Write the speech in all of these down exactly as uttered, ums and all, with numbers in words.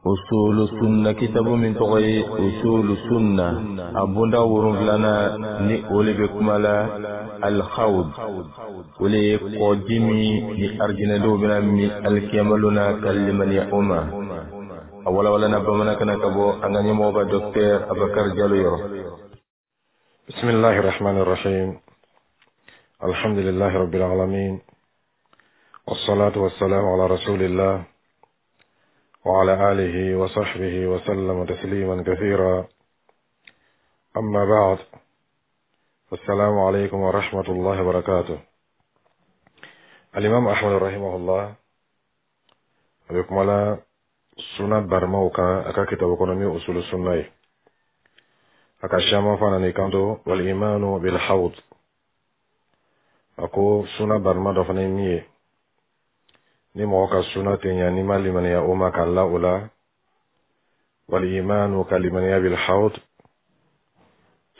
Usulu Sunna, kitabu min tɔgɔ ye Usulu Sunna, a bonda wolonfilana ni o le bɛ kuma la الحوض, o le ye kɔji min ni arijinɛdenw bɛna min alikiyama na ka limaniya o ma. A walawalana bamanankan na ka bɔ an ka ɲɛmɔgɔba Docteur Abakar Jalo yɔrɔ. بسم الله الرحمن الرحيم، الحمد لله رب العالمين، والصلاة والسلام على رسول الله وعلى آله وصحبه وسلم تسليما كثيرا، أما بعد، السلام عليكم ورحمة الله وبركاته. الإمام أحمد رحمه الله بكم على سنة برموكا أكا كتاب كونمي أصول السنة أكا شاما فانا نيكانتو والإيمان بالحوض. أكو سنة برما دفني ميه ni mɔgɔ ka suna tɛ ɲa n'i ma limaniya o ma ka la o la. والإيمان, ka limaniya, بالحوض,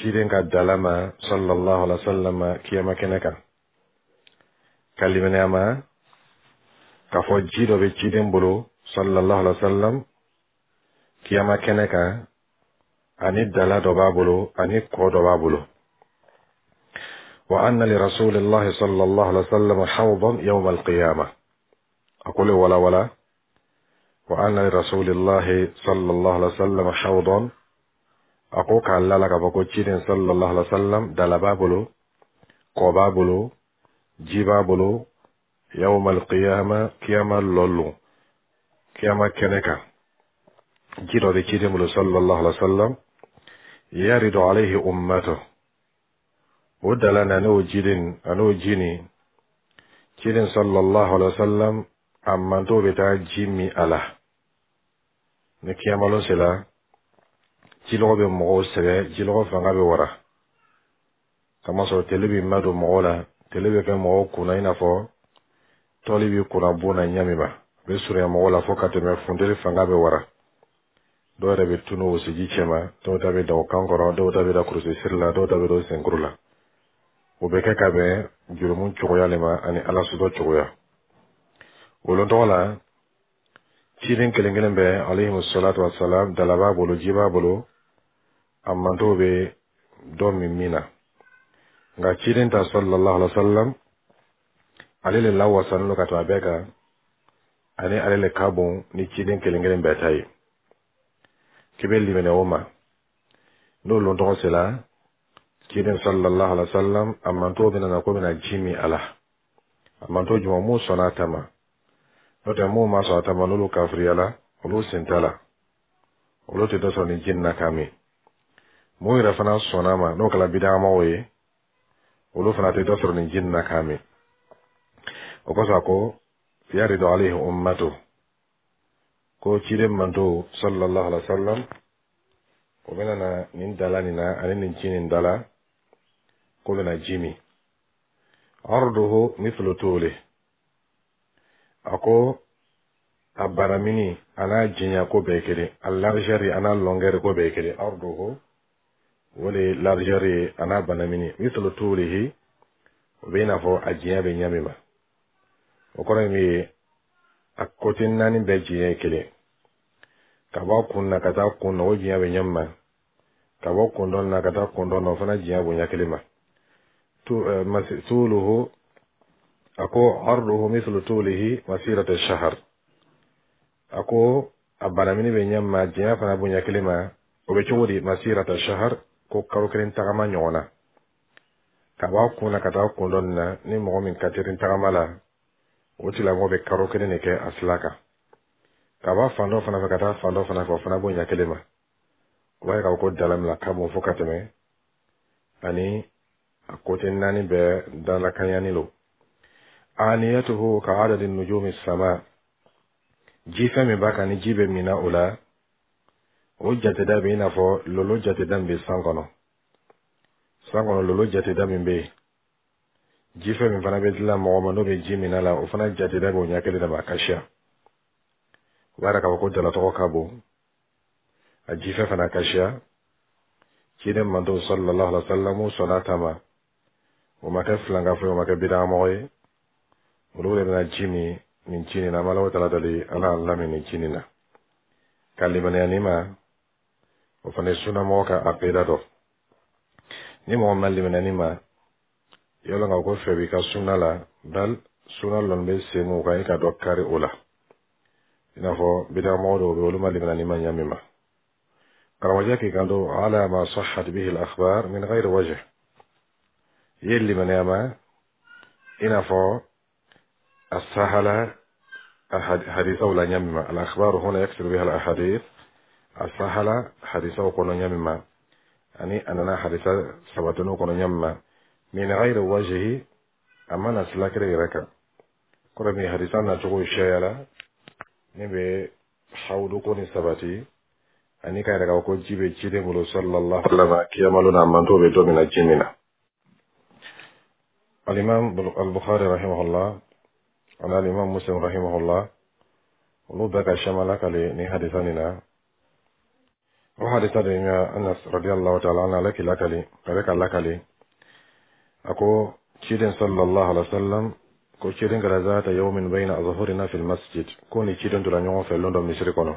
ciden ka dala ma صلى الله عليه وسلم kiyama kɛnɛ kan, ka limaniya ma k'a fɔ ji dɔ bɛ ciden bolo صلى الله عليه وسلم kiyama kɛnɛ kan, ani dala dɔ b'a bolo, ani kɔ dɔ b'a bolo. وأن لرسول الله صلى الله عليه وسلم حوضا يوم القيامة. أقول ولا ولا وأن لرسول الله صلى الله عليه وسلم حوضا, أقول كالله لك فكو صلى الله عليه وسلم dala b'a bolo, kɔ b'a bolo, ji b'a bolo, يوم القيامة, kiyama lɔlon, kiyama kɛnɛ kan, ji dɔ bɛ ciden bolo صلى الله عليه وسلم. يرد عليه أمته, o dala na n'o jiden an'o ji nin, ciden صلى الله عليه وسلم a manto bɛ taa ji min a la. Ni kiyamalon sera, jilɔgɔ bɛ mɔgɔw sɛgɛn, jilɔgɔ fanga bɛ wara, kamasɔrɔ tele bɛ madon mɔgɔw la, tele bɛ kɛ mɔgɔw kunna i n'a fɔ tɔli bɛ kunna bon na ɲɛ min ma, a bɛ surunya mɔgɔw la fo ka tɛmɛ, funteni fanga bɛ wara, dɔw yɛrɛ bɛ tunu wosiji cɛma, dɔw ta bɛ da o kan kɔrɔ, dɔw ta bɛ da kurusi siri la, dɔw ta bɛ da o senkuru la. O bɛ kɛ ka bɛn jurumu cogoya le ma ani Ala sɔsɔ cogoya. Wolon tɔgɔ la, ciden kelen kelen bɛɛ عليه الصلاة والسلام dala b'a bolo, ji b'a bolo, a mantow bɛ dɔ min min na. Nka ciden ta صلى الله عليه وسلم, ale le lawasalen don ka tɛmɛ a bɛɛ kan, ani ale le ka bon ni ciden kelen kelen bɛɛ ta ye. K'i bɛ limaniya o ma, n'o lon tɔgɔ sera, ciden صلى الله عليه وسلم a mantow bɛna na ko bɛna ji min a la. A manto jumɛn? Mun sɔnna a ta ma? N'o tɛ, mun ma sɔn a ta ma, n'olu kafiriyala, olu sen t'a la, olu tɛ dɔ sɔrɔ ni ji nin na k'a min. Mun yɛrɛ fana sɔnna a ma, n'o kɛra bidamɔgɔw ye, olu fana tɛ dɔ sɔrɔ nin ji nin na k'a min. O kosɔn a ko يرد عليه أمته, ko ciden manto صلى الله عليه وسلم o bɛna na nin dala nin na ani nin ji nin dala ko bɛna ji min. عرضه مثل طوله, a ko a baramini a n'a janya ko bɛɛ kelen, a largeur a n'a longueur ko bɛɛ kelen. عرضه, o de ye largeur ye, a n'a banamini, مثل طوله, o bɛ i n'a fɔ a janya bɛ ɲɛ min ma. O kɔrɔ ye min ye, a côté naani bɛɛ janya ye kelen, ka bɔ a kun na ka taa kun na, o janya bɛ ɲɛ min ma, ka bɔ kun dɔ na ka taa kun dɔ na, o fana janya bonya kelen ma. طوله, a ko عرضه مثل طوله مسيرة شهر, a ko a banamini bɛ ɲɛ ma, janya fana bonya kelen ma. O bɛ cogo di? مسيرة شهر, ko kalo kelen tagama ɲɔgɔn na, ka bɔ a kun na ka taa kun dɔ nin na. Ni mɔgɔ min ka teli tagama la, o tigilamɔgɔ bɛ kalo kelen de kɛ a sila kan. Ka bɔ fan dɔ fana fɛ ka taa fan dɔ fana fɛ, o fana bonya kelen ma. O b'a ye k'a fɔ ko dalamila ka bon fo ka tɛmɛ, ani a côté naani bɛɛ dalakanyani lo. آنيته كعدد نجوم السماء, ji fɛn min b'a kan ni ji bɛ min o la, o jateda bɛ i n'a fɔ lolo jateda min bɛ san kɔnɔ. San kɔnɔ lolo jateda min bɛ yen, jifɛn min fana bɛ dilan mɔgɔ ma n'o bɛ ji min la, o fana jateda bɛ o ɲɛ kelen de ma, a ka siya. O b'a yira k'a fɔ ko dalatɔgɔ ka bon, a jifɛn fana ka siya. Ciden manto صلى الله عليه وسلم sɔnna ta ma, o ma kɛ filankafo ye, o ma kɛ bidamɔgɔ ye, olu de bɛna ji min nin ji nin na. An b'Ala tala dali, Ala y'an lamɛn nin ji nin na. Ka limaniya nin ma, o fana ye sunamɔgɔ ka aqida dɔ. Ni mɔgɔ ma limaniya nin ma, yɔrɔ ka ko fɛ b'i ka sunna la, bal sunna lɔn bɛ sen mun kan, i ka dɔ kari o la. I n'a fɔ bidamɔgɔ dɔw bɛ, olu ma limaniya nin ma ɲa min ma. Karamɔgɔcɛ k'i kanto ala ma sahhat bihi al-akhbar min ghayri wajh, i ye limaniya ma i n'a fɔ a sahala hadisaw la ɲa min ma. Al-akhbar huna yaksiru biha al-ahadith, a sahala hadisaw kɔnɔ ɲa min ma, ani a nana hadisa sabatiniw kɔnɔ ɲa min ma, min ghayri wajhi, a ma na sila kelen yɛrɛ kan. Kɔrɔ min hadisa nacogo siyayala min bɛ hawudu ko ni sabati, ani ka yɛrɛ ka ko ji bɛ ciden bolo sallallahu alaihi wa sallam kiyama na, manto bɛ don min na ji min na. Alimam al-Bukhari rahimahullah ani alimam Muslim rahimahullah, olu bɛɛ ka siyaman lakale ni hadisa nin na. O hadisa de ye Anas radiyallahu ta'ala anhu, ale k'i lakale, ale ka lakale, a ko ciden sallallahu alaihi wa sallam ko ciden kɛra zata yawmin bayna azhurina fil masjid, ko ni ciden tora ɲɔgɔn fɛ lon dɔ misiri kɔnɔ,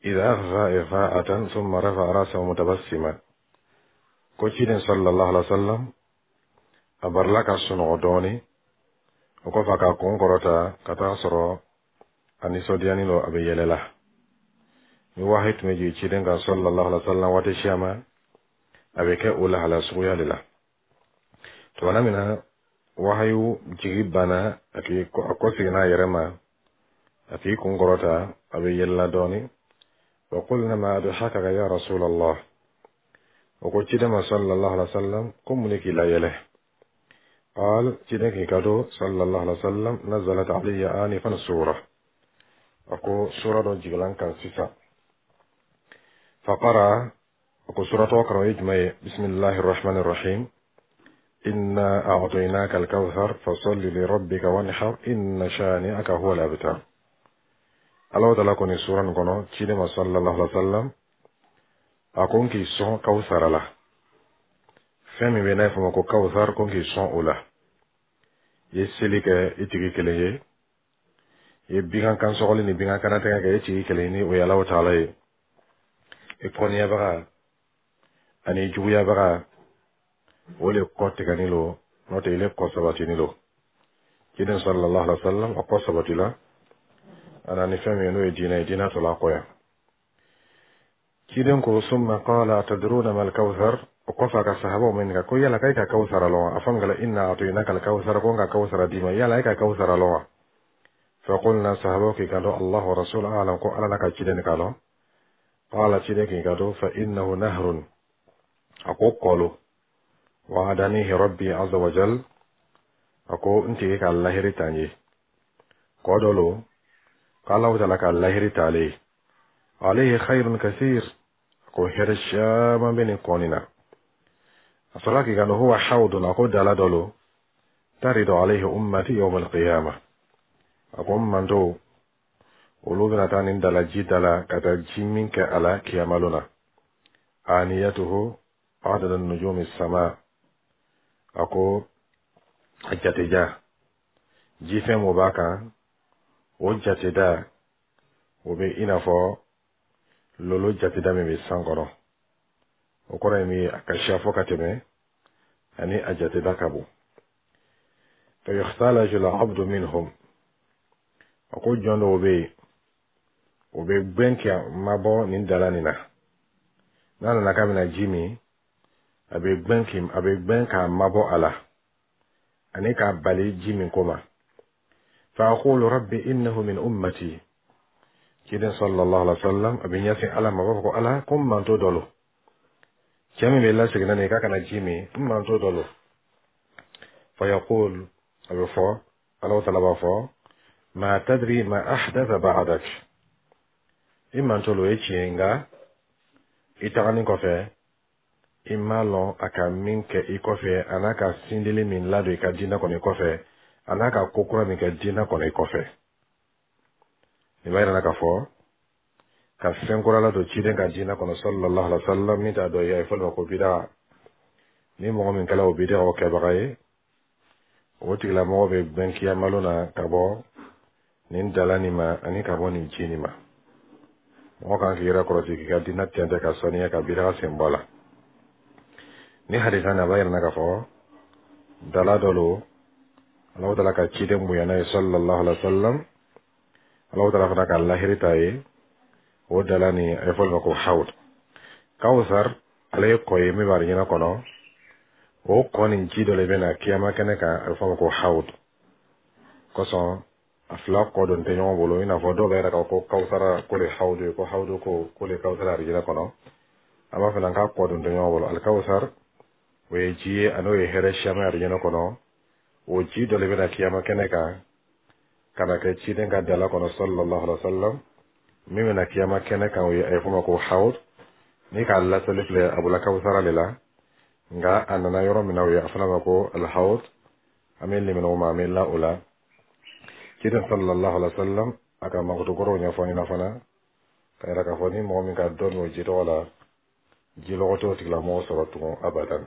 idha aghfa ighfa'atan thumma rafa'a ra'sahu mutabassima, ko ciden sallallahu alaihi wa sallam a barila ka sunɔgɔ dɔɔni, o kɔfɛ a ka kun kɔrɔta ka taa sɔrɔ a nisɔndiyani don, a bɛ yɛlɛ la. Ni wahayi tun bɛ jigin ciden kan sallallahu alaihi wa sallam waati siyama, a bɛ kɛ o lahala suguya de la. Tumana min na wahayu jigi banna, a k'i a kɔseginna a yɛrɛ ma, a k'i kun kɔrɔta, a bɛ yɛlɛla dɔɔni. Wa qulna ma adhakaka ya rasulallah, o ko ciden ma sallallahu alaihi wa sallam ko mun de k'i la yɛlɛ? قال, ciden k'i kanto sallallahu alaihi wa sallam, nazalat alayya anifan sura, a ko sura dɔ jigila n kan sisan. Faqara, a ko sura tɔgɔ kalan, o ye jumɛn ye? Bisimilahi rahmani rahim, inna a'tainaka al-kawthar fasalli li rabbika wanhar inna shani'aka huwa al-abtar. Ala taala ko nin sura nin kɔnɔ ciden ma sallallahu alaihi wa sallam, a ko n k'i sɔn kawsara la, fɛn min bɛ n'a ye fɔ ma ko kawsar, ko n k'i sɔn o la. I ye seli kɛ i tigi kelen ye, i ye bigan kan sɔgɔli ni bigan kanatɛgɛ kɛ i tigi kelen ni o ye Alahu taala ye. I kɔniyabaga ani juguyabaga, o le kɔ tigɛni lo, n'o tɛ ile kɔ sabatini lo. Ciden sallallahu alaihi wa sallam a kɔ sabatila a na ni fɛn min ye, n'o ye diinɛ ye, diinɛ tɔla kɔ yan. Ciden ko summa qala atadruna mal kawthar, o kɔfɛ a ka sahabaw ɲininka ko yala k'e ka kawsara lɔn wa? A fɔ min kɛla inna a'tainaka al-kawthar, ko n ka kawsara d'i ma, yala e ka kawsara lɔn wa? Faqulna, sahabaw k'i kanto Allah wa rasul a'lam, ko Ala n'a ka ciden k'a lɔn. Qala, ciden k'i kanto fa innahu nahrun, a ko kɔlo, wa'adanihi rabbi azza wa jal, a ko n tigi ka lahiri ta n ye, kɔ dɔ lo k'Alahu taala ka lahiri t'ale ye, alayhi khayrun kathir, ko hɛrɛ caman bɛ nin kɔ nin na. A sɔrɔla k'i kanto huwa hawdun, a ko dala dɔ lo, taridu alayhi ummati yawm alqiyama, a ko n manto olu bɛna taa nin dala ji dala ka taa ji min kɛ a la kiyama lon na. Aniyatuhu adada nujumi sama, a ko a jateja jifɛn mun b'a kan, o jateda o bɛ i n'a fɔ lolo jateda min bɛ san kɔnɔ. O kɔrɔ ye min ye, a ka siya fɔ ka tɛmɛ, ani a jateda ka bon. Fa yukhtalaju al-abdu minhum, a ko jɔn dɔw bɛ yen, o bɛ gbɛn kɛ mabɔ nin dala nin na, n'a nana k'a bɛna ji min, a bɛ gbɛn k'i a bɛ gbɛn k'a mabɔ a la ani k'a bali ji min ko ma. Fa aqulu rabbi innahu min ummati, ciden sallallahu alaihi wa sallam a bɛ ɲɛsin Ala ma, a b'a fɔ ko Ala, ko n manto dɔ lo, cɛ min bɛ laseginna nin ye k'a kana ji min, n manto dɔ lo. Fa yaqul, a bɛ fɔ Ala taala b'a fɔ ma tadri ma ahdatha ba'dak, i manto lo, o ye tiɲɛ ye, nka i taganin kɔfɛ i m'a lɔn a ka min kɛ i kɔfɛ, a n'a ka sindili min ladon i ka diinɛ kɔnɔ i kɔfɛ, a n'a ka ko kura min kɛ diinɛ kɔnɔ i kɔfɛ. Nin b'a yira k'a fɔ ka fɛn kura ladon ciden ka diinɛ kɔnɔ sallallahu alaihi wa sallam min t'a dɔ ye, a ye fɔ ma ko bida. Ni mɔgɔ min kɛla o bida o kɛbaga ye, o tigilamɔgɔ bɛ gbɛn kiyamalo na ka bɔ nin dala nin ma ani ka bɔ nin ji nin ma. Mɔgɔ kan k'i yɛrɛ kɔlɔsi k'i ka diinɛ tɛntɛ ka saniya ka bida sen bɔ a la. Ni hadisa nin a b'a yira k'a fɔ dala dɔ lo Alahu taala ka ciden bonyana ye sallallahu alaihi wa sallam. Alahu taala fana ka lahiri ta ye o dala nin, a ye fɔ o ma ko hawd. Kawusar ale ye kɔ ye min bɛ arijinɛ kɔnɔ. O kɔ nin ji dɔ de bɛ na kiyama kɛnɛ kan, a bɛ fɔ a ma ko hawd. Kosɔn a fila kɔ don tɛ ɲɔgɔn bolo, i n'a fɔ dɔw bɛ yɛrɛ k'a fɔ ko kawusara ko le hawdu ye, ko hawdu ko ko le kawusara arijinɛ kɔnɔ. An b'a fɔ k'a kɔ don tɛ ɲɔgɔn bolo. Alikawusar o ye ji ye, a n'o ye hɛrɛ siyaman arijinɛ kɔnɔ. O ji dɔ de bɛ na kiyama kɛnɛ kan ka na kɛ ciden ka dala kɔnɔ sallallahu alaihi wa sallam. Min bɛ na kiyama kɛnɛ kan, o ye a ye fɔ o ma ko hawd. Ni k'a laseli filɛ, a bɔla kawusara de la, nka a nana yɔrɔ min na, o ye a fana ma ko alhawd. An bɛ limanaw ma, an bɛ la o la. Ciden sallallahu alaihi wa sallam a ka mankutu kɔrɔw ɲɛfɔ ɲɛna fana ka yira k'a fɔ ni mɔgɔ min ka dɔ min o ji tɔgɔ la, jilɔgɔ t'o tigilamɔgɔ sɔrɔ tugun abadan.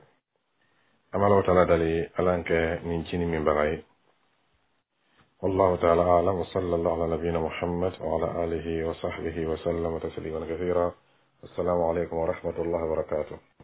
An bɛ Alahu taala dali, Ala kɛ nin ji nin minbaga ye. والله تعالى أعلم، وصلى الله على نبينا محمد وعلى آله وصحبه وسلم تسليما كثيرا. السلام عليكم ورحمة الله وبركاته.